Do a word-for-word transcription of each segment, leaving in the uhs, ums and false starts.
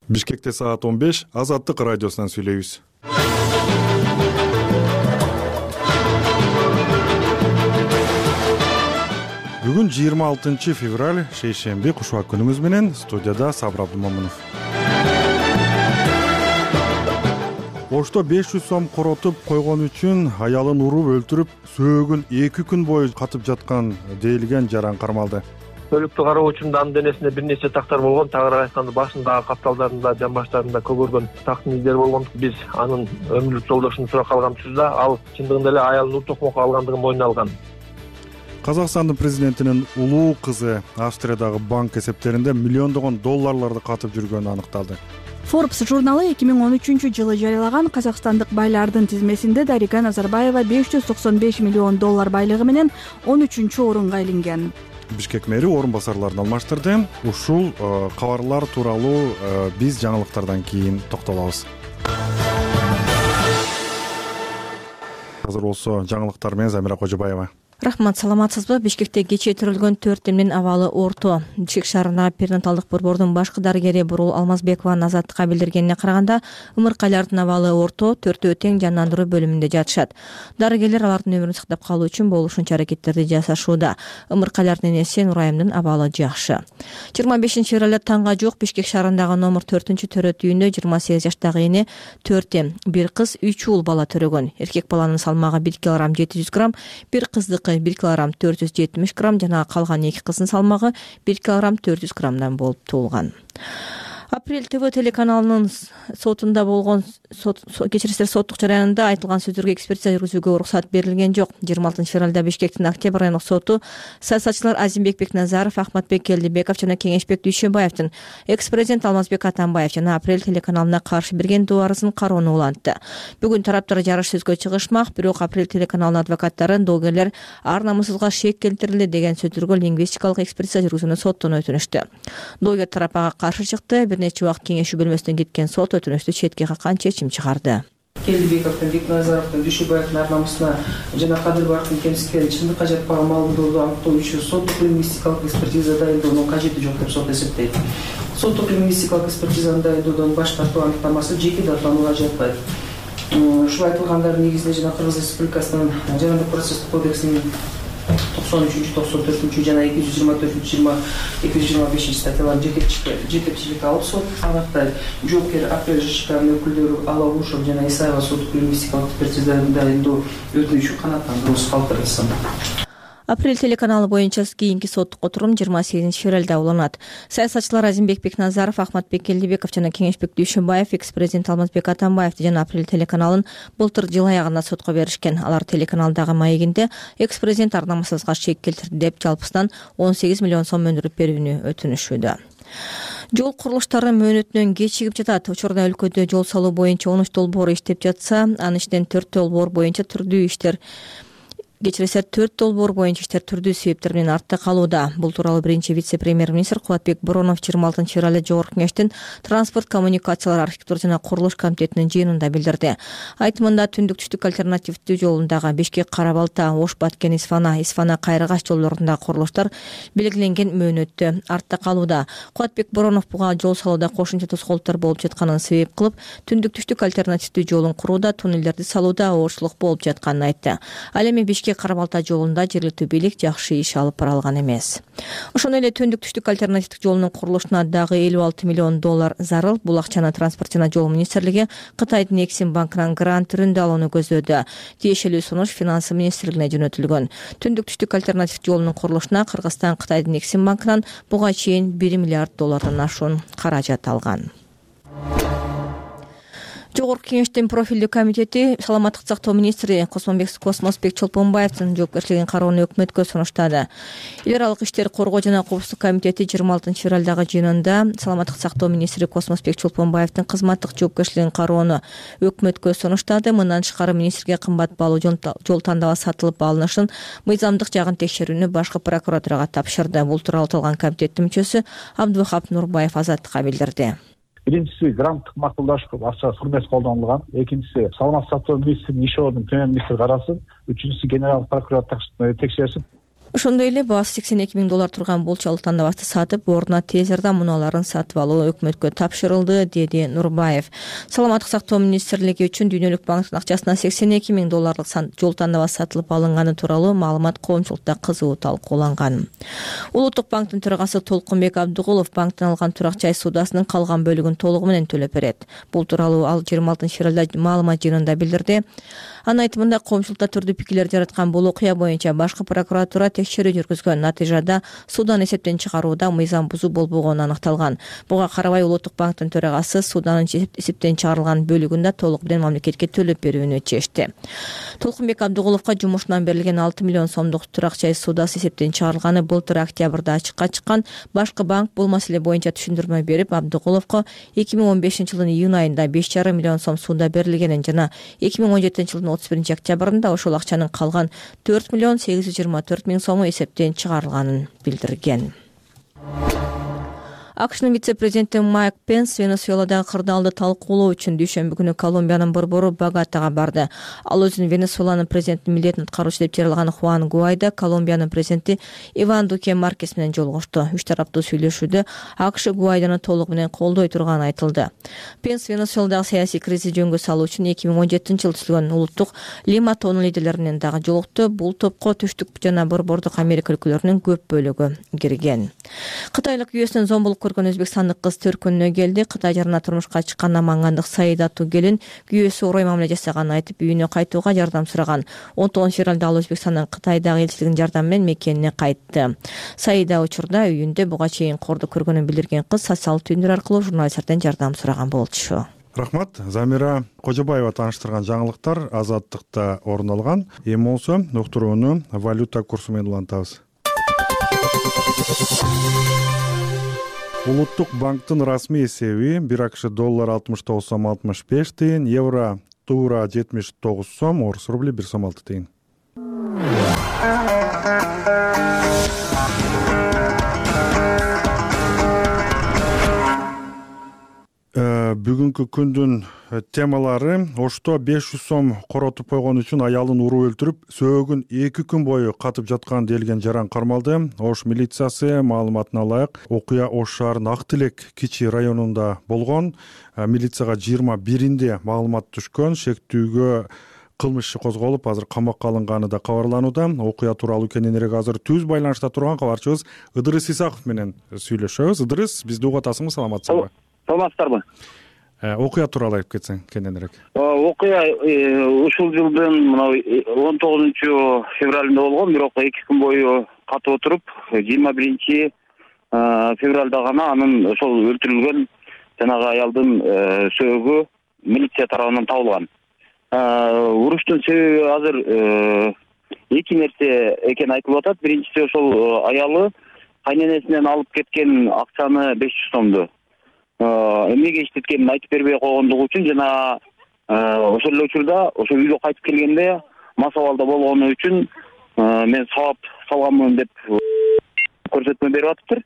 Бишкекте саат он беш, Азаттык радиосунан сүйлөйбүз. Бүгүн жыйырма алтынчы февраль, шейшемби, кушубак күнүңүз менен. Студияда Сабыр Абдымомунов. Ошто беш жүз сом коротуп койгон үчүн аялын уруп өлтүрүп, сөөгүн эки күн бою катып жаткан дейилген жаран кармалды. Өлүктү кароо үчүн анын денесинде бир нече тактар болгон, тагыраак айтканда башындагы капталдарында, жан баштарында көгөргөн тактын издери болгон. Биз анын өмүрлүк жолдошун сурап калганбыз да, ал чындыгында эле аялын ур токмокко алгандыгын мойнуна алган. Казакстандын президентинин улуу кызы Австриядагы банк эсептеринде миллиондогон долларларды катып жүргөнү аныкталды. Forbes журналы эки миң он үчүнчү жылы жарыялаган казакстандык байлардын тизмесинде Дарига Назарбаева беш жүз токсон беш миллион доллар байлыгы менен он үчүнчү орунга илинген. Бишкек мэри орун басарларын алмаштырды. Ушул кабарлар тууралуу биз жаңылыктардан кийин токтолобуз. Азыр болсо жаңылыктар менен Замира Кожобаева. Рахмат, саламатсызбы? Бишкекте кечээ төрөлгөн төрт эмнин абалы орто. Бишкек шаарындагы перинаталдык борбордун башкы дарыгери Бурул Алмазбекова Азаттыкка билдиргенине караганда, ымыркайлардын абалы орто, төртөө тең жандандыруу бөлүмүндө жатышат. Дарыгерлер алардын өмүрүн сактап калуу үчүн болушунча аракеттерди жасашууда. Ымыркайлардын энеси Нурайымдын абалы жакшы. жыйырма бешинчи февралда таңга жук Бишкек шаарындагы номер төртүнчү төрөт үйүндө жыйырма сегиз жаштагы эне төрт эм, бир кыз, үч уул бала төрөгөн. Эркек баланын салмагы бир килограмм жети жүз грамм, бир кыздыкы бир килограмм төрт жүз жетимиш грамм жана калган эки кыздын салмагы бир килограмм төрт жүз граммдан болуп туулган. Апрель ТВ телеканалынын сотунда болгон кечирисиздер соттук жараянында айтылган сөздөргө экспертиза жүргүзүүгө уруксат берилген жок. жыйырма алтынчы февралда Бишкектин Октябрь райондук соту саясатчылар Азимбек Бекназаров, Ахматбек Келдибеков жана Кеңешбек Дүйшөбаевдин экс-президент Алмазбек Атамбаев жана Апрель телеканалына каршы берген доо арызын кароону улантты. Бүгүн тараптар жарыш сөзгө чыгышмак, бирок Апрель телеканалынын адвокаттары доогерлер ар намысызга шек келтирилди деген сөздөргө лингвистикалык экспертиза жүргүзүүнү соттон өтүнүштү. Доогер тарап ага каршы чыкты. Бир нече убакыт кеңешүү бөлмөсүнөн кеткен сот өтүнүштү четке каккан чечим чыгарды. Келдибековдун, Бекназаровдун, Дүйшөбаевдин ар намысына жана Кадырбаевдин кемсиктерин чындыкка жатпаган маалыматтарды аныктоо үчүн соттук лингвистикалык экспертиза дайындоонун кажети жок деп сот эсептейт. Соттук лингвистикалык экспертизаны дайындоодон баш тартуу аныктамасы жеке даттанууга жатпайт. Ушул айтылгандардын негизинде жана Кыргыз Республикасынын жарандык процесстик кодексинин токсон үчүнчү, токсон төртүнчү жана эки жүз жыйырма төртүнчү, эки жүз жыйырма бешинчи статьяларын жетекчиликке алып сот аныктай. Жоопкер Апрель ЖШКнын өкүлдөрү Алабушев жана Исаева соттук лингвистикалык экспертизаны дайындоо өтүнүчүн канааттандыруусуз калтырылсын. Апрель телеканалы боюнча кийинки соттук отурум жыйырма сегизинчи февралда уланат. Саясатчылар Азимбек Бекназаров, Ахматбек Келдибеков жана Кеңешбек Дүйшөбаев экс-президент Алмазбек Атамбаевди жана Апрель телеканалын былтыр жыл аягында сотко беришкен. Алар телеканалдагы маегинде экс-президент ар намысызга шек келтирди деп жалпысынан он сегиз миллион сом өндүрүп берүүнү өтүнүшүүдө. Жол курулуштары мөөнөтүнөн кечигип жатат. Учурда өлкөдө жол салуу боюнча он үч долбоор иштеп жатса, анын ичинен төрт долбоор боюнча түрдүү иштер Кечирисиздер төрт долбоор боюнча иштер түрдүү себептер менен артта калууда. Бул тууралуу биринчи вице-премьер-министр Кулатбек Боронов жыйырма алтынчы февралда Жогорку Кеңештин транспорт, коммуникациялар, архитектура жана курулуш комитетинин жыйынында билдирди. Айтымында түндүк-түштүк альтернативдүү жолундагы Бишкек Кара Балта, Ош Баткен Исфана, Исфана Кайрыгаш жолдорундагы курулуштар белгиленген мөөнөттө артта калууда. Кулатбек Боронов буга жол салууда кошумча тоскоолдуктар болуп жатканын себеп кылып, түндүк-түштүк альтернативдүү жолун курууда, туннелдерди салууда оорчулук болуп жатканын айтты. Ал эми Бишкек Кара Балта жолунда жергиликтүү бийлик жакшы иш алып бара алган эмес. Ошондой эле түндүк-түштүк альтернативдик жолунун курулушуна дагы элүү алты миллион доллар зарыл. Бул акчаны транспорт жана жол министрлиги Кытайдын Эксим банкынан грант түрүндө алууну көздөдү. Тиешелүү сунуш финансы министрлигине жөнөтүлгөн. Түндүк-түштүк альтернативдик жолунун курулушуна Кыргызстан Кытайдын Эксим банкынан буга чейин бир миллиард доллардан ашуун каражат алган. Жогорку Кеңештин профилдүү комитети саламаттык сактоо министри Космосбек Чолпонбаевдин жоопкерчилигин кароону өкмөткө сунуштады. Эл аралык иштер коргоо жана коопсуздук комитети жыйырма алтынчы февралдагы жыйынында саламаттык сактоо министри Космосбек Чолпонбаевдин кызматтык жоопкерчилигин кароону өкмөткө сунуштады. Мындан тышкары министрге кымбат баалуу жол тандала сатылып алынышын мыйзамдык жагын текшерүүнү башкы прокуратурага тапшырды. Бул тууралуу аталган комитеттин мүчөсү Абдывахап Нурбаев Азаттыкка билдирди. Биринчиси гранттык макулдашып акча сурмес колдонулган. Экинчиси саламаттык сактоо министринин иш ордунун премьер-министр карасын. Үчүнчүсү генералдык прокуратура текшерсин. Ошондой эле баасы сексен эки миң доллар турган болчолук тандабасты сатып, ордуна тез арада муналарын сатып алуу өкмөткө тапшырылды, деди Нурбаев. Саламаттык сактоо министрлиги үчүн Дүйнөлүк банктын акчасына сексен эки миң долларлык жол тандабасы сатылып алынганы тууралуу маалымат коомчулукта кызуу талкууланган. Улуттук банктын төрагасы Толкунбек Абдыгулов банктан алган турак жай суудасынын калган бөлүгүн толугу менен төлөп берет. Бул тууралуу ал жыйырма алтынчы февралда маалымат жыйынында билдирди. Анын айтымында, коомчулукта түрдүү пикирлер жараткан бул окуя боюнча башкы прокуратура текшерүү жүргүзгөн. Натыйжада суудан эсептен чыгарууда мыйзам бузуу болбогону аныкталган. Буга карабай Улуттук банктын төрагасы сууданын эсептен чыгарылган бөлүгүн да толук менен мамлекетке төлөп берүүнү чечти. Толкунбек Абдыгуловго жумушунан берилген алты миллион сомдук турак жай суудасы эсептен чыгарылганы былтыр октябрда ачыкка чыккан. Башкы банк бул маселе боюнча түшүндүрмө берип, Абдыгуловго эки миң он бешинчи жылдын июнь айында беш жарым миллион сом сууда берилгенин жана эки миң он жетинчи жылдын отуз биринчи октябрында ошол акчанын калган төрт миллион сегиз жүз жыйырма төрт миң сому эсептен чыгарылганын билдирген. АКШнын вице-президенти Майк Пенс Венесуэладагы кырдаалды талкуулоо үчүн дүйшөмбү күнү Колумбиянын борбору Боготага барды. Ал өзүн Венесуэланын президентинин милдетин аткаруучу деп жарыялаган Хуан Гуайдо Колумбиянын президенти Иван Дуке Маркес менен жолугушту. Үч тараптуу сүйлөшүүдө АКШ Гуайдону толугу менен колдой турганы айтылды. Пенс Венесуэладагы саясий кризисти жөнгө салуу үчүн эки миң он жетинчи жылы түзүлгөн улуттук Лима тоонун лидерлери менен дагы жолукту. Бул топко түштүк жана борбордук Америка өлкөлөрүнүн көп бөлүгү кирген. Кытайлык үй эсинен зомбулук көргөн өзбекстандык кыз төркүнүнө келди. Кытай жарына турмушка чыккан Намангандык Саид аттуу келин күйөөсү орой мамиле жасаганын айтып, үйүнө кайтууга жардам сураган. он тогузунчу февралда ал Өзбекстандын Кытайдагы элчилигинин жардамы менен мекенине кайтты. Саида учурда үйүндө буга чейин корду көргөнүн билдирген кыз социалдык түйүндөр аркылуу журналисттерден жардам сураган болчу. Рахмат. Замира Кожобаева тааныштырган жаңылыктар Азаттыкта орун алган. Эми болсо уктурууну валюта курсу менен улантабыз. Улуттук банктын расмий эсеби бир АКШ доллар алтымыш тогуз сом алтымыш беш тыйын, евро туура жетимиш тогуз сом, орус рубли бир сом алты тыйын. Бүгүнкү күндүн темалары: Ошто беш жүз сом коротуп койгон үчүн аялын уруп өлтүрүп, сөөгүн эки күн бою катып жаткан делген жаран кармалды. Ош милициясы маалыматына ылайык, окуя Ош шаарынын Ак Тилек Кичи районунда болгон. Милицияга жыйырма биринде маалымат түшкөн. Шектүүгө кылмыш иши козголуп, азыр камакка алынганы да кабарланууда. Окуя тууралуу кененирээк азыр түз байланышта турган кабарчыбыз Ыдырыс Исаков менен сүйлөшөбүз. Ыдырыс, бизди угуп атасыңбы, саламатсызбы? Саламатсыздарбы? Окуя тууралуу айтып кетсең кененирээк. Окуя ушул жылдын мына он тогузунчу февралында болгон, бирок эки күн бою катып отуруп, жыйырма биринчи февралда гана анын ошол өлтүрүлгөн жанагы аялдын сөөгү милиция тарабынан табылган. Уруштун себеби азыр эки нерсе экени айтылып атат. Биринчиси, ошол аялы кайненесинен алып кеткен акчаны беш жүз сомду эмнеге иштеткенин айтып бербей койгондугу үчүн жана ошол эле учурда ошо үйгө кайтып келгенде мас абалда болгону үчүн мен сабап салганмын деп көрсөтмө берип атыптыр.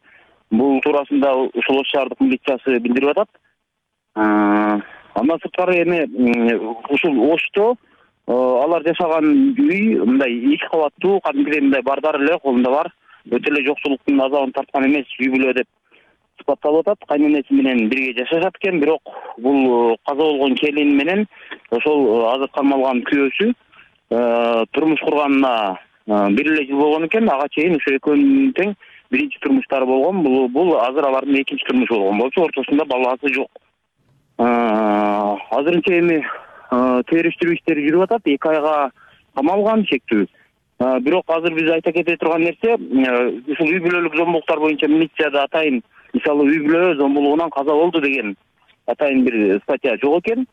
Бул туурасында ушул Ош шаардык милициясы билдирип атат. Андан сырткары эми ушул Ошто алар жашаган үй мындай эки кабаттуу, кадимкидей мындай бардар эле, колунда бар, өтө эле жоксулуктун азабын тарткан эмес үй бүлө деп сыпатталып атат. Кайненеси менен бирге жашашат экен, бирок бул каза болгон келин менен ошол азыр кармалган күйөөсү турмуш курганына бир эле жыл болгон экен. Ага чейин ошо экөөнүн тең биринчи турмуштары болгон. Бул бул азыр алардын экинчи турмушу болгон болчу, ортосунда баласы жок. Азырынча эми териштирүү иштери жүрүп атат. эки айга камалган шектүү. Бирок азыр биз айта кете турган нерсе, ушул үй бүлөлүк зомбулуктар боюнча милицияда атайын, мисалы үй бүлө зомбулугунан каза болду деген атайын бир статья жок экен.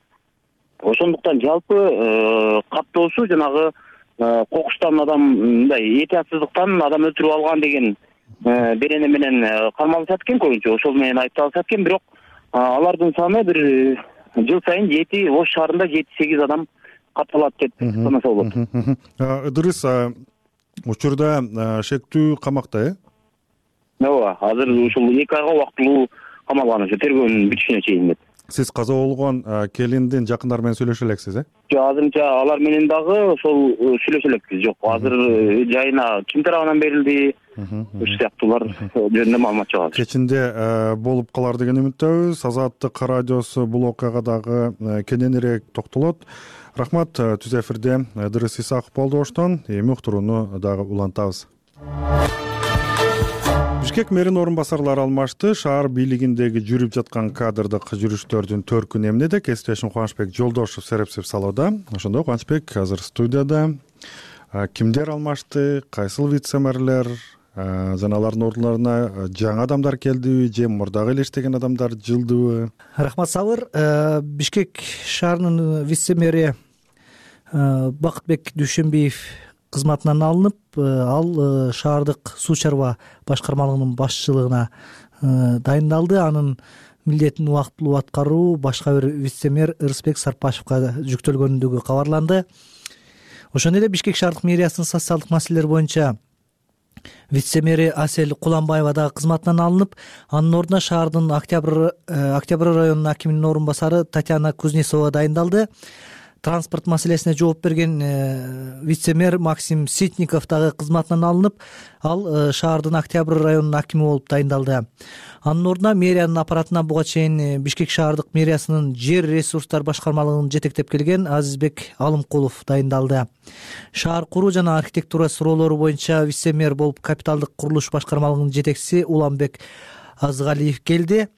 Ошондуктан жалпы каттоосу жанагы кокуштан адам, мындай этиятсыздыктан адам өлтүрүп алган деген берене менен кармалышат экен көбүнчө. Ошол менен айыпталышат экен, бирок алардын саны бир жыл сайын жети, Ош шаарында жети сегиз адам катталат деп санаса болот. Ыдырыс, учурда шектүү камакта, э? Ооба, азыр ушул эки айга убактылуу камалган, ошо тергөөнүн бүтүшүнө чейин деп. сиз каза болгон келиндин жакындары менен сүйлөшө элексиз э жок, азырынча алар менен дагы ошол сүйлөшө элекпиз. Жок, азыр жайына ким тарабынан берилди, ушул сыяктуулар жөнүндө маалымат жок. Кечинде болуп калар деген үмүттөбүз. Азаттык радиосу бул окуяга дагы кененирээк токтолот. Рахмат. Түз эфирде Ыдырыс Исаков болду оштон. Эми уктурууну дагы улантабыз. Бишкек мэринин орун басарлары алмашты. Шаар бийлигиндеги жүрүп жаткан кадрдык жүрүштөрдүн төркүнү эмнеде? Кесиптешим Кубанычбек Жолдошов серепсип салууда. Ошондой Кубанычбек азыр студияда. Кимдер алмашты? Кайсыл вице-мэрлер? Жана алардын ордуна жаңы адамдар келдиби же мурдагы эле иштеген адамдар жылдыбы? Рахмат Сабыр. Бишкек шаарынын вице-мэри Бакытбек Дүйшөнбиев кызматынан алынып, ал шаардык суу чарба башкармалыгынын башчылыгына дайындалды. Анын милдетин убактылуу аткаруу башка бир вице-мэр Ырысбек Сарпашевга жүктөлгөнүндөгү кабарланды. Ошондой эле Бишкек шаардык мэриясынын социалдык маселелер боюнча вице-мэри Асель Куламбаева дагы кызматынан алынып, анын ордуна шаардын Октябрь Октябрь районунун акиминин орун басары Татьяна Кузнецова дайындалды. Транспорт маселесине жооп берген вице-мэр Максим Ситников дагы кызматынан алынып, ал шаардын Октябрь районунун акими болуп дайындалды. Анын ордуна мэриянын аппаратына буга чейин Бишкек шаардык мэриясынын жер ресурстар башкармалыгын жетектеп келген Азизбек Алымкулов дайындалды. Шаар куруу жана архитектура суроолору боюнча вице-мэр болуп капиталдык курулуш башкармалыгынын жетекчиси Уланбек Азгалиев келди.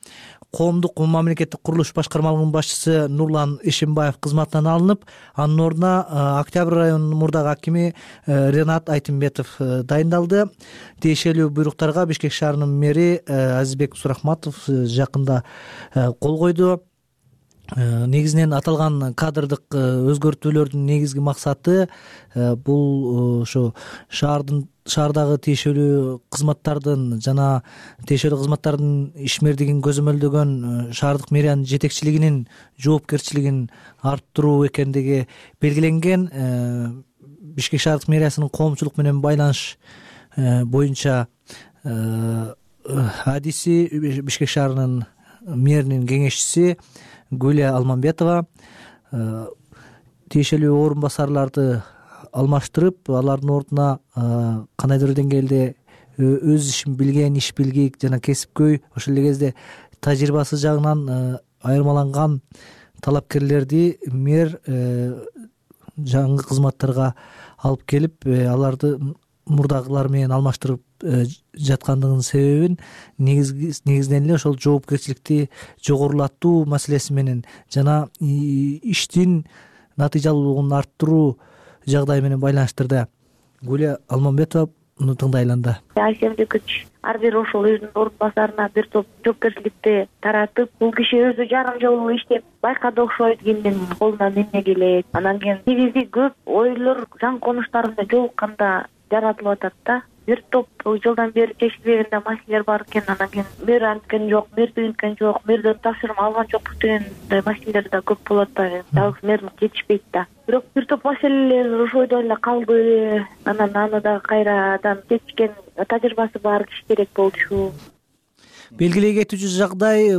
Коомдук мамлекеттик курулуш башкармалыгынын башчысы Нурлан Ишимбаев кызматынан алынып, анын ордуна Октябрь районунун мурдагы акими Ренат Айтымбетов дайындалды. Тиешелүү буйруктарга Бишкек шаарынын мэри Азизбек Сурахматов жакында кол койду. Негизинен аталган кадрдык өзгөртүүлөрдүн негизги максаты бул ошо шаардын шаардагы тиешелүү кызматтардын жана тиешелүү кызматтардын ишмердигин көзөмөлдөгөн шаардык мэриянын жетекчилигинин жоопкерчилигин арттыруу экендиги белгиленген. Бишкек шаардык мэриясынын коомчулук менен байланыш боюнча адиси Бишкек шаарынын мэринин кеңешчиси Гүлия Алмамбетова тиешелүү орун басарларды алмаштырып, алардын ордуна кандайдыр деңгээлде өз ишин билген, иш билгик жана кесипкөй, ошол эле кезде тажрыйбасы жагынан айырмаланган талапкерлерди мэр жаңы кызматтарга алып келип, аларды мурдагылар менен алмаштырып жаткандыгынын себебин негизинен эле ошол жоопкерчиликти жогорулатуу маселеси менен жана иштин натыйжалуулугун арттыруу жагдайы менен байланыштырды. Гүлия Алмамбетованы тыңдайланды. Айсембек күч ар бир ошол өзүнүн орун басарына бир топ жоопкерчиликти таратып, бул киши өзү жарым жыл иштеп байкады окшойт, кимдин колунан эмне келет. Анан кийин негизи көп ойлор жан конуштарында жолукканда жаратылып атат да. Бир топ жылдан бери чечилбеген маселелер бар экен. Анан кийин мэр анткен жок, мэр тигинткен жок, мэрден тапшырма алган жокпуз дегендей маселелер да көп болот да. Жалгыз мэр жетишпейт да. Бирок бир топ маселелер ошойдо эле калды. Анан аны да кайрадан чечкен тажрыйбасы бар киши керек болчу. Белгилей кетүүчү жагдай,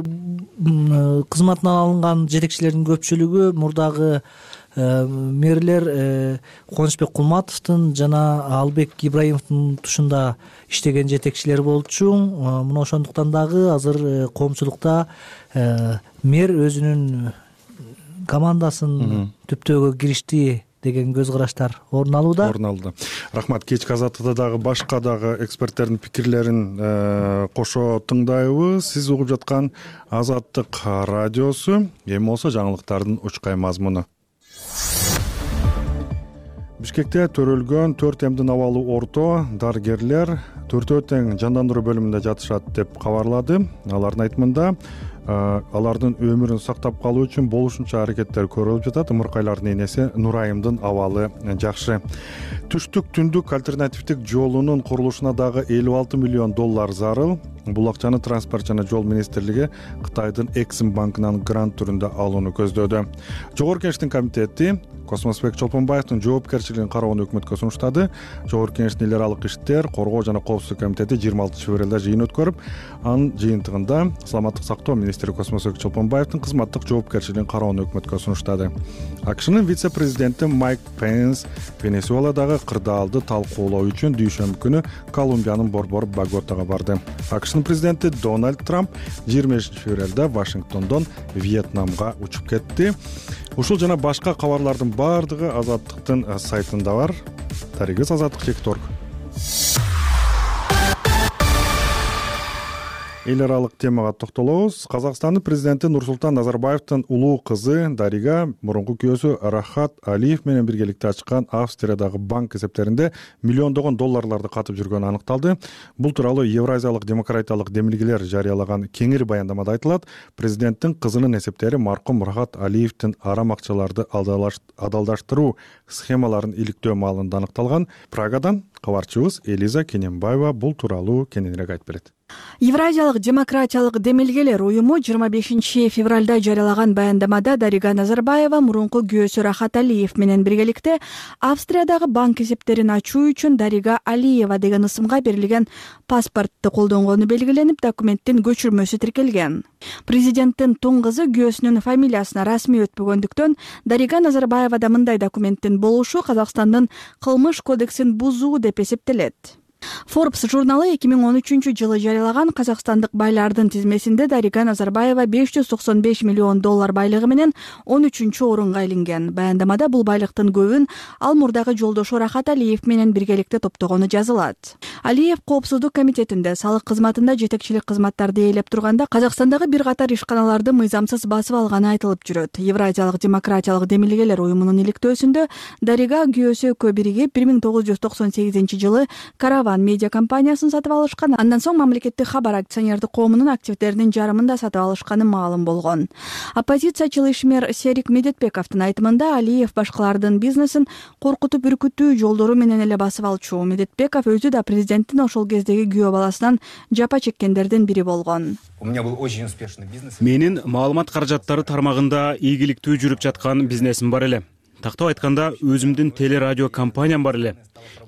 кызматынан алынган жетекчилердин көпчүлүгү мурдагы мэрлер Кубанычбек Кулматовдун жана Албек Ибраимовдун тушунда иштеген жетекчилер болчу. Мына ошондуктан дагы азыр коомчулукта мэр өзүнүн командасын түптөөгө киришти деген көз караштар орун алууда. Орун алды. Рахмат. Кечки азаттыкта дагы башка дагы эксперттердин пикирлерин кошо тыңдайбыз. Сиз угуп жаткан Азаттык радиосу. Эми болсо жаңылыктардын учкай мазмуну. Бишкекте төрөлгөн төрт эмдин абалы орто дарыгерлер төртөө тең жандандыруу бөлүмүндө жатышат деп кабарлады. Алардын айтымында алардын өмүрүн сактап калуу үчүн болушунча аракеттер көрүлүп жатат. Ымыркайлардын энеси Нурайымдын абалы жакшы. Түштүк түндүк альтернативдик жолунун курулушуна дагы элүү алты миллион доллар зарыл. Бул акчаны транспорт жана жол министрлиги Кытайдын Эксим банкынан грант түрүндө алууну көздөдү. Жогорку Кеңештин комитети Космосбек Чолпонбаевдин жоопкерчилигин кароону өкмөткө сунуштады. Жогорку Кеңештин эл аралык иштер, коргоо жана коопсуздук комитети жыйырма алтынчы февралда жыйын өткөрүп, анын жыйынтыгында саламаттык сактоо министри Космосбек Чолпонбаевдин кызматтык жоопкерчилигин кароону өкмөткө сунуштады. АКШнын вице-президенти Майк Пенс Венесуэладагы кырдаалды талкуулоо үчүн дүйшөмбү күнү Колумбиянын борбор Боготага барды. АКШнын президенти Дональд Трамп жыйырма бешинчи февралда Вашингтондон Вьетнамга учуп кетти. Ушул жана башка кабарлардын баардыгы Азаттыктын сайтында бар. Таригиз азаттык чек точка орг. Эл аралык темага токтолобуз. Казакстандын президенти Нурсултан Назарбаевдин улуу кызы Дарига мурунку күйөөсү Рахат Алиев менен биргеликте ачкан Австриядагы банк эсептеринде миллиондогон долларларды катып жүргөнү аныкталды. Бул тууралуу Евразиялык демократиялык демилгелер жарыялаган кеңири баяндамада айтылат. Президенттин кызынын эсептери маркум Рахат Алиевдин арам акчаларды адалдаштыруу схемаларын иликтөө маалында аныкталган. Прагадан кабарчыбыз Элиза Кененбаева бул тууралуу кененирээк айтып берет. Евразиялык демократиялык демилгелер уюму жыйырма бешинчи февралда жарыялаган баяндамада Дарига Назарбаева мурунку күйөөсү Рахат Алиев менен биргеликте Австриядагы банк эсептерин ачуу үчүн Дарига Алиева деген ысымга берилген паспортду колдонгону белгиленип, документтин көчүрмөсү тиркелген. Президенттин тун кызы күйөөсүнүн фамилиясына расмий өтпөгөндүктөн Дарига Назарбаева да мындай документтин болушу Казакстандын кылмыш кодексин бузуу деп эсептелет. Forbes журналы эки миң он үчүнчү жылы жарыялаган казакстандык байлардын тизмесинде Дарига Назарбаева беш жүз токсон беш миллион доллар байлыгы менен он үчүнчү орунга илинген. Баяндамада бул байлыктын көбүн ал мурдагы жолдошу Рахат Алиев менен биргеликте топтогону жазылат. Алиев коопсуздук комитетинде салык кызматында жетекчилик кызматтарды ээлеп турганда Казакстандагы бир катар ишканаларды мыйзамсыз басып алганы айтылып жүрөт. Евразиялык демократиялык демилгелер уюмунун иликтөөсүндө Дарига күйөөсү экөө биригип бир миң тогуз жүз токсон сегизинчи жылы Караван медиа компаниясын сатып алышкан. Андан соң мамлекеттик хабар акционердик коомунун активдеринин жарымын да сатып алышканы маалым болгон. Оппозициячыл ишмер Серик Медетбековдун айтымында Алиев башкалардын бизнесин коркутуп үркүтүү жолдору менен эле басып алчу. Медетбеков өзү да президенттин ошол кездеги күйөө баласынан жапа чеккендердин бири болгон. Менин маалымат каражаттары тармагында ийгиликтүү жүрүп жаткан бизнесим бар эле. Тактап айтканда, өзүмдүн телерадио компаниям бар эле.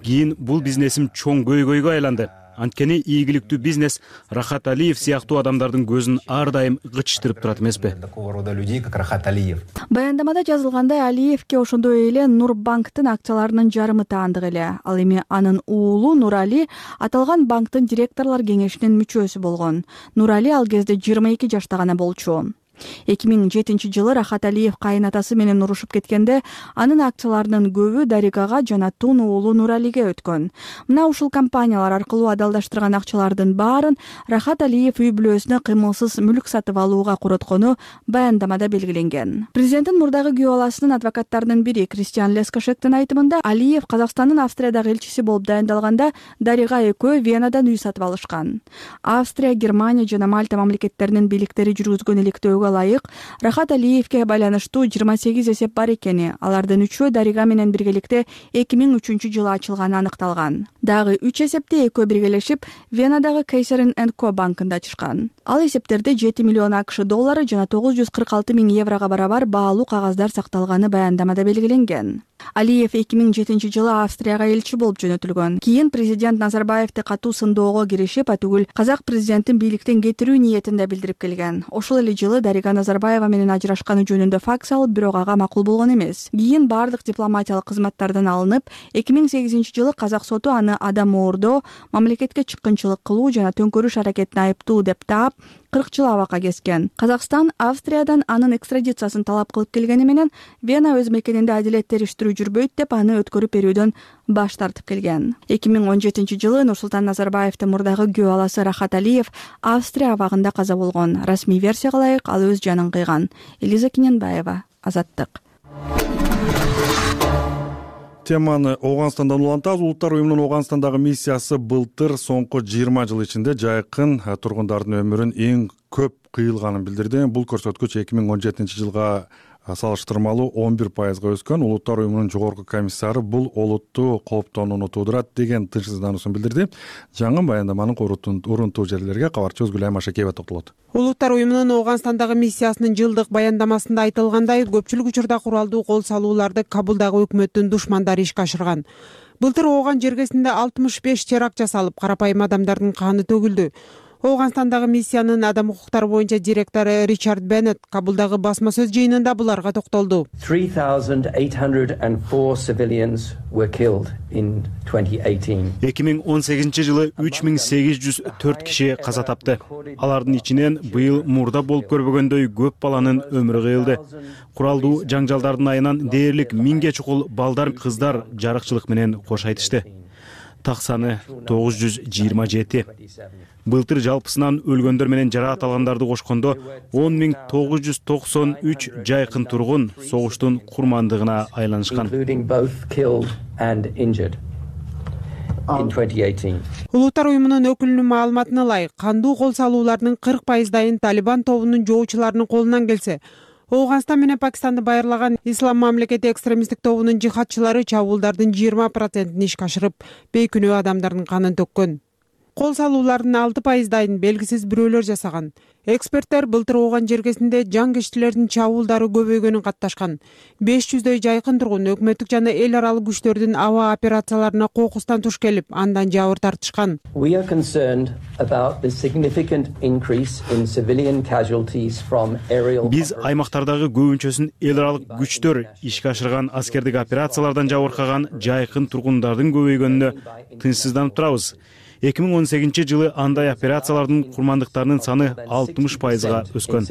Кийин бул бизнесим чоң көйгөйгө айланды. Анткени ийгиликтүү бизнес Рахат Алиев сыяктуу адамдардын көзүн ар дайым кычтырып турат эмеспи? Баяндамада жазылгандай, Алиевке ошондой эле Нурбанктын акцияларынын жарымы таандык эле. Ал эми анын уулу Нурали аталган банктын директорлор кеңешинин мүчөсү болгон. Нурали ал кезде жыйырма эки жашта гана болчу. эки миң жетинчи жылы Рахат Алиев кайынатасы менен урушуп кеткенде анын акцияларынын көбү Даригага жана тун уулу Нуралиге өткөн. Мына ушул компаниялар аркылуу адалдаштырган акчалардын баарын Рахат Алиев үй бүлөсүнө кыймылсыз мүлк сатып алууга короткону баяндамада белгиленген. Президенттин мурдагы күйөө баласынын адвокаттарынын бири Кристиан Лескошектин айтымында Алиев Казакстандын Австриядагы элчиси болуп дайындалганда Дарига экөө Венадан үй сатып алышкан. Австрия, Германия жана Мальта мамлекеттеринин бийликтери жүргүзгөн иликтөөгө ылайык Рахат Алиевке байланыштуу жыйырма сегиз эсеп бар экени, алардын үчөө Дарига менен биргеликте эки миң үчүнчү жылы ачылганы аныкталган. Дагы үч эсепти экөө биргелешип Венадагы Кейсерин энд Ко банкында ачышкан. Ал эсептерде жети миллион АКШ доллары жана тогуз жүз кырк алты миң еврого барабар баалуу кагаздар сакталганы баяндамада белгиленген. Алиев эки миң жетинчи жылы Австрияга элчи болуп жөнөтүлгөн. Кийин президент Назарбаевди катуу сындоого киришип, атүгүл казак президентин бийликтен кетирүү ниетин да билдирип келген. Ошол эле жылы Дарига Назарбаева менен ажырашканы жөнүндө факс алып, бирок ага макул болгон эмес. Кийин бардык дипломатиялык кызматтардан алынып, эки миң сегизинчи жылы казак соту аны адам оордоо, мамлекетке чыккынчылык кылуу жана төңкөрүш аракетине айыптуу деп таап, кырк жыл абакка кескен. Казакстан Австриядан анын экстрадициясын талап кылып келгени менен Вена өз мекенинде адилет териштирүү жүрбөйт деп аны өткөрүп берүүдөн баш тартып келген. эки миң он жетинчи жылы Нурсултан Назарбаевдин мурдагы күйөө баласы Рахат Алиев Австрия абагында каза болгон. Расмий версияга ылайык ал өз жанын кыйган. Элиза Кененбаева, Азаттык. Теманы Ооганстандан улантабыз. Улуттар уюмунун Ооганстандагы миссиясы былтыр соңку жыйырма жыл ичинде жайкын тургундардын өмүрүн эң көп кыйылганын билдирди. Бул көрсөткүч эки миң он жетинчи жылга салыштырмалуу он бир пайызга өскөн. Улуттар уюмунун жогорку комиссары бул олуттуу кооптонууну туудурат деген тынчсыздануусун билдирди. Жаңы баяндаманын урунтуу жерлерге кабарчыбыз Гүлайым Ашакеева токтолот. Улуттар уюмунун Ооганстандагы миссиясынын жылдык баяндамасында айтылгандай, көпчүлүк учурда куралдуу кол салууларды Кабулдагы өкмөттүн душмандары ишке ашырган. Былтыр Ооган жергесинде алтымыш беш теракт жасалып, карапайым адамдардын каны төгүлдү. Ооганстандагы миссиянын адам укуктары боюнча директору Ричард Беннет Кабулдагы басма сөз жыйынында буларга токтолду. three thousand eight hundred four civilians were killed in twenty eighteen. эки миң он сегизинчи жылы үч миң сегиз жүз төрт киши каза тапты. Алардын ичинен быйыл мурда болуп көрбөгөндөй көп баланын өмүрү кыйылды. Куралдуу жаңжалдардын айынан дээрлик миңге чукул балдар, кыздар жарыкчылык менен кош айтышты. Так саны тогуз жүз жыйырма жети. Былтыр жалпысынан өлгөндөр менен жараат алгандарды кошкондо он миң тогуз жүз токсон үч жайкын тургун согуштун курмандыгына айланышкан. Улуттар уюмунун өкүлүнүн маалыматына ылайык, кандуу кол салуулардын кырк пайыздайын Талибан тобунун жоочуларынын колунан келсе, Ооганстан менен Пакистанды байырлаган Ислам мамлекети экстремисттик тобунун жихадчылары чабуулдардын жыйырма процентин ишке ашырып, бейкүнөө адамдардын канын төккөн. Кол салуулардын алты пайыздайын белгисиз бирөөлөр жасаган. Эксперттер былтыр Ооган жергесинде жаңгичтилердин чабуулдары көбөйгөнүн катташкан. беш жүздөй жайкын тургун өкмөттүк жана эл аралык күчтөрдүн аба операцияларына кокустан туш келип, андан жабыр тартышкан. We are concerned about the significant increase in civilian casualties from aerial. Биз аймактардагы көбүнчөсүн эл аралык күчтөр ишке ашырган аскердик операциялардан жабыркаган жайкын тургундардын көбөйгөнүнө тынчсызданып турабыз. эки миң он сегизинчи жылы андай операциялардын курмандыктарынын саны алтымыш пайызга өскөн.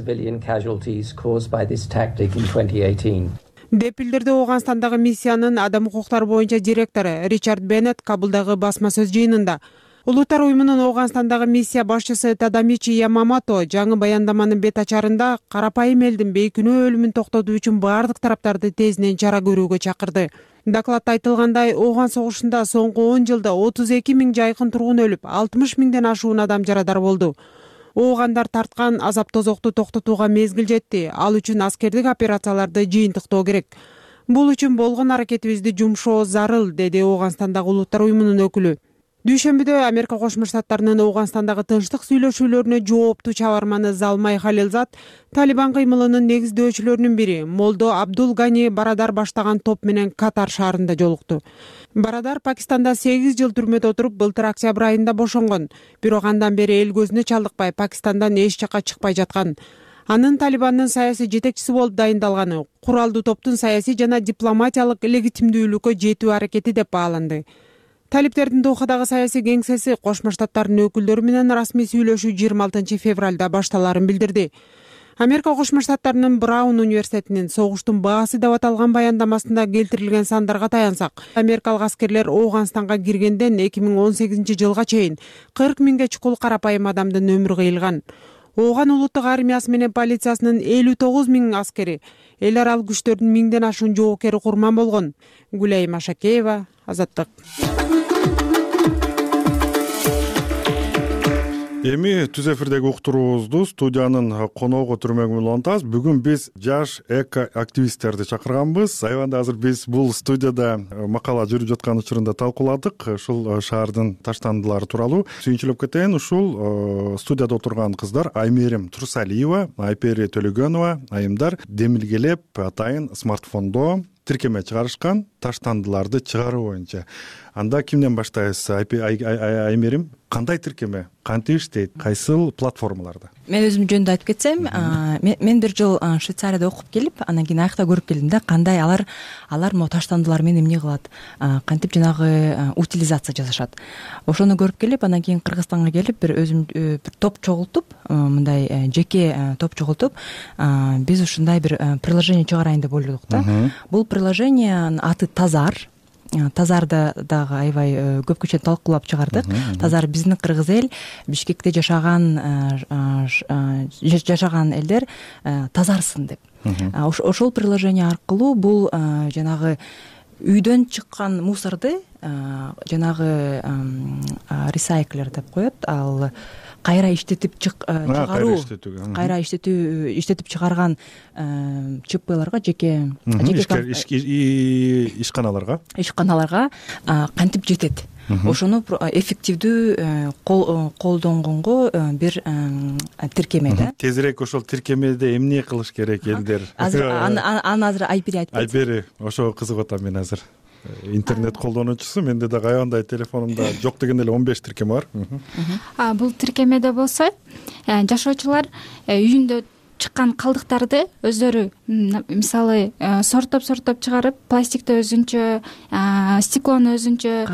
деп билдирди Ооганстандагы миссиянын адам укуктары боюнча директору Ричард Беннет Кабулдагы басма сөз жыйынында. Улуттар уюмунун Ооганстандагы миссия башчысы Тадамичи Ямамото жаңы баяндаманын бет ачарында карапайым элдин бейкүнөө өлүмүн токтотуу үчүн баардык тараптарды тезинен чара көрүүгө чакырды. Докладта айтылгандай, Ооган согушунда соңку он жылда отуз эки миң жайкын тургун өлүп, алтымыш миңден ашуун адам жарадар болду. Оогандар тарткан азап тозокту токтотууга мезгил жетти. Ал үчүн аскердик операцияларды жыйынтыктоо керек. Бул үчүн болгон аракетибизди жумшоо зарыл, деди Ооганстандагы улуттар уюмунун өкүлү. Дүйшөмбүдө Америка Кошмо Штаттарынын Ооганстандагы тынчтык сүйлөшүүлөрүнө жооптуу чабарманы Залмай Халилзад Талибан кыймылынын негиздөөчүлөрүнүн бири Молдо Абдул Гани Барадар баштаган топ менен Катар шаарында жолукту. Барадар Пакистанда сегиз жыл түрмөдө отуруп, былтыр октябрь айында бошонгон. Бирок андан бери эл көзүнө чалдыкпай Пакистандан эч жакка чыкпай жаткан. Анын Талибандын саясий жетекчиси болуп дайындалганы куралдуу топтун саясий жана дипломатиялык легитимдүүлүккө жетүү аракети деп бааланды. Талиптердин Дохадагы саясий кеңсеси Кошмо Штаттарынын өкүлдөрү менен расмий сүйлөшүү жыйырма алтынчы февралда башталарын билдирди. Америка Кошмо Штаттарынын Браун университетинин согуштун баасы деп аталган баяндамасында келтирилген сандарга таянсак, америкалык аскерлер Ооганстанга киргенден эки миң он сегизинчи жылга чейин кырк миңге чукул карапайым адамдын өмүрү кыйылган. Ооган улуттук армиясы менен полициясынын элүү тогуз миң аскери, эл аралык күчтөрдүн миңден ашуун жоокери курман болгон. Гүлайым Ашакеева, Азаттык. Эми түз эфирдеги уктуруубузду студиянын коногу түрмөгү менен улантабыз. Бүгүн биз жаш эко активисттерди чакырганбыз. Айванда азыр биз бул студияда макала жүрүп жаткан учурунда талкууладык. Ушул шаардын таштандылары тууралуу сүйүнчүлөп кетейин. Ушул студияда отурган кыздар Аймерим Турсалиева, Айпери Төлөгөнова, айымдар демилгелеп атайын смартфондо тиркеме чыгарышкан таштандыларды чыгаруу боюнча. Анда кимден баштайбыз? Аймерим, кандай тиркеме, кантип иштейт, кайсыл платформаларда? Мен өзүм жөнүндө айтып кетсем, мен бир жыл Швейцарияда окуп келип, анан кийин аякта көрүп келдим да, кандай алар алар могу таштандылар менен эмне кылат, кантип жанагы утилизация жасашат. Ошону көрүп келип, анан кийин Кыргызстанга келип, бир өзүм бир топ чогултуп, мындай жеке топ чогултуп, биз ушундай бир приложение чыгарайын деп ойлодук да. Бул приложениянын аты Тазар. Тазарды дагы аябай көп кече талкуулап чыгардык. Тазар биздин кыргыз эл, Бишкекте жашаган жашаган элдер тазарсын деп. Ошол приложение аркылуу бул жанагы үйдөн чыккан мусорду жанагы ресайклер деп коет, ал кайра иштетип чыгаруу иштетүүгө кайра иштетүү иштетип чыгарган чпларга жеке жеке ишканаларга ишканаларга кантип жетет, ошону эффективдүү колдонгонго бир тиркеме да. Тезирээк ошол тиркемеде эмне кылыш керек элдер? Азыр аны азыр Айпери айтып айтып бери, ошого кызыгып атам мен азыр. Интернет колдонуучусу, менде дагы аябандай телефонумда жок дегенде эле он беш тиркеме бар. Бул тиркемеде болсо жашоочулар үйүндө чыккан калдыктарды өздөрү мисалы сорттоп сорттоп чыгарып, пластикти өзүнчө, стеклону өзүнчө,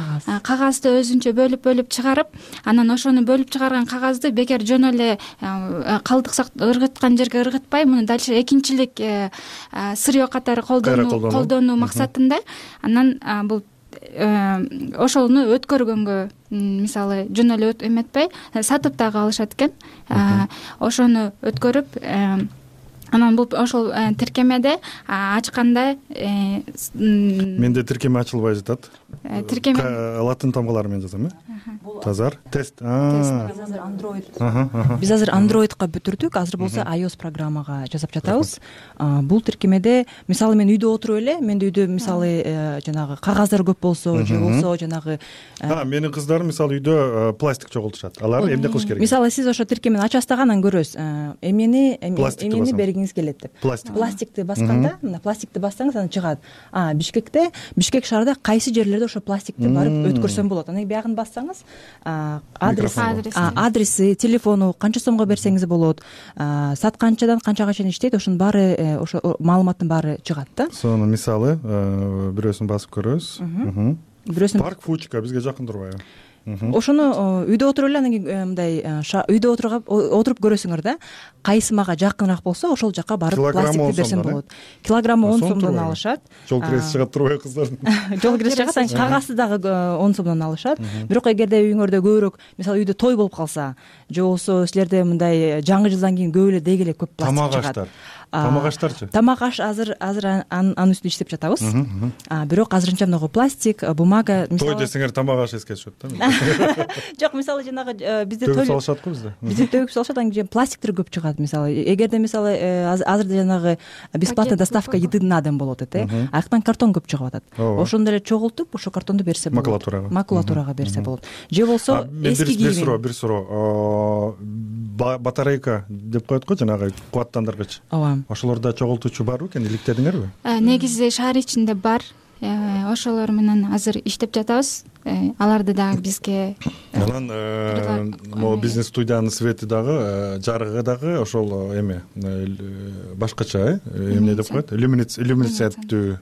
кагазды өзүнчө бөлүп бөлүп чыгарып, анан ошону бөлүп чыгарган кагазды бекер жөн эле калдык ыргыткан жерге ыргытпай, муну дальше экинчилик сырье катары колдонуу максатында анан бул ошону өткөргөнгө мисалы жөн эле эметпей сатып дагы алышат экен. Ошону өткөрүп анан бул ошол тиркемеде ачканда менде тиркеме ачылбай жатат. Тиркеме латын тамгалары менен жазам э? Тазар тест. Биз азыр Android. Биз азыр Androidга бүтүрдүк, азыр болсо iOS программага жасап жатабыз. Бул тиркемеде мисалы мен үйдө отуруп эле, менде үйдө мисалы жанагы кагаздар көп болсо, же болсо жанагы менин кыздарым мисалы үйдө пластик чогултушат. Алар эмне кылыш керек? Мисалы сиз ошо тиркемени ачасыз дагы анан көрөсүз. Эмнени эмнени бергиңиз келет деп. Пластикти басканда, мына пластикти бассаңыз анан чыгат. А Бишкекте, Бишкек шаарда кайсы жерлерде ошо пластикти барып өткөрсөм болот. Анан биягын бассаңыз адрес адреси, телефону канча сомго берсеңиз болот, сатканчадан канчага чейин иштейт, ошонун баары ошо маалыматтын баары чыгат да. Сону мисалы бирөөсүн басып көрөбүз. Бирөөсүн парк Фучка бизге жакын турбайбы? Ошону үйдө отуруп эле анан кийин мындай үйдө отуруп көрөсүңөр да, кайсы мага жакыныраак болсо ошол жака барып пластикти берсем болот. Килограммы он сомдон алышат. Жол кирesi чыгат турбайбы кыздардын? Жол кирesi чыгат, анан кагазды дагы он сомдон алышат. Бирок эгерде үйүңөрдө көбүрөөк мисалы үйдө той болуп калса, же болбосо силерде мындай жаңы жылдан кийин көп эле деги эле көп пластик чыгат. Тамак аштарчы? Тамак аш азыр азыр анын үстүндө иштеп жатабыз. Бирок азырынча мынагу пластик, бумага мисалы той десеңер тамак аш эске түшөт да. Жок, мисалы жанагы бизде төгүп салышат го бизде. Бизде төгүп салышат, анан кийин пластиктер көп чыгат. Мисалы эгерде мисалы азыр жанагы бесплатная доставка еды на дом болуп атат, э. Аяктан картон көп чыгып атат. Ошондо эле чогултуп, ошо картонду берсе болот. Макулатурага. Макулатурага берсе болот. Же болсо эски кийим. Бир суроо, бир суроо. Батарейка деп коет го, жанагы кубаттандыргыч. Ооба. Ошолордо чогултуучу барбы экен, иликтедиңерби? Негизи шаар ичинде бар. Ошолор менен азыр иштеп жатабыз. Аларды дагы бизге анан могу бизнес студиянын свети дагы, жарыгы дагы ошол эме башкача, э, эмне деп коет? Иллюминациялыктуу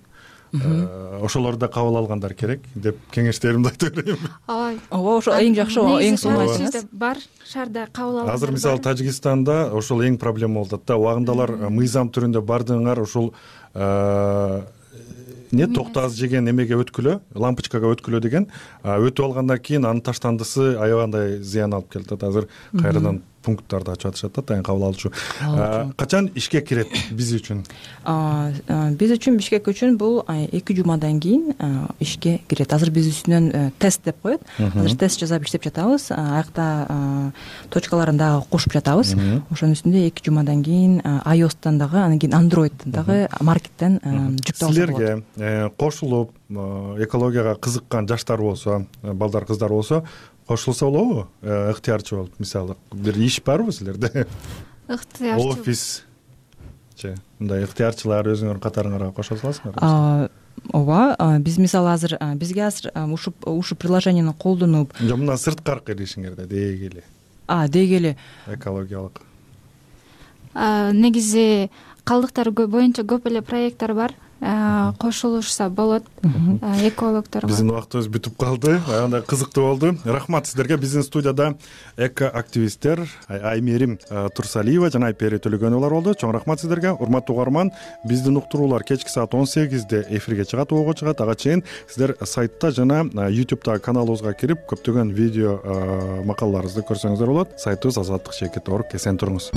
ошолорду кабыл алгандар керек деп кеңештеримди айтып берейин. Ооба. Ооба, ошо эң жакшы, эң сонун бар. Шаарда кабыл алгандар. Азыр мисалы Тажикстанда ошол эң проблема болуп атат да. Убагында мыйзам түрүндө бардыгыңар ушул не токтоаз жеген эмеге өткүлө, лампочкага өткүлө деген, өтүп алгандан кийин анын таштандысы аябандай зыян алып келет. Азыр кайрадан пункттарды ачып атышат да, тайын кабыл алуучу. Качан ишке кирет биз үчүн? Биз үчүн, Бишкек үчүн бул эки жумадан кийин ишке кирет. Азыр биз үстүнөн тест деп коет. Азыр тест жасап иштеп жатабыз. Аякта точкаларын дагы кошуп жатабыз. Ошонун үстүндө эки жумадан кийин iOS'тан дагы, анан кийин Android'тан дагы маркеттен жүктөп алса болот. Силерге кошулуп экологияга кызыккан жаштар болсо, балдар, кыздар болсо, кошулса болобу? Ыктыярчы болуп, мисалы, бир иш барбы силерде? Ыктыярчы. Офис же мындай ыктыярчылар өзүңөр катарыңарга кошо саласыңар? Ооба, биз мисалы азыр бизге азыр ушу ушу приложениени колдонуп, жок, мына сырткаркы илишиңерде деги эле. А, деги эле экологиялык. Негизи калдыктар боюнча көп эле проекттер бар. Кошулушса болот экологдорго. Биздин убактыбыз бүтүп калды. Аябай кызыктуу болду. Рахмат сиздерге. Биздин студияда эко активисттер Аймерим Турсалиева жана Айпери Төлөгөнова болду. Чоң рахмат сиздерге. Урматтуу угарман, биздин уктуруулар кечки саат он сегизде эфирге чыгат, ого чыгат. Ага чейин сиздер сайтта жана YouTube'да каналыбызга кирип көптөгөн видео макалаларыбызды көрсөңүздөр болот. Сайтыбыз азаттык чекит точка орг. Эсен туруңуз.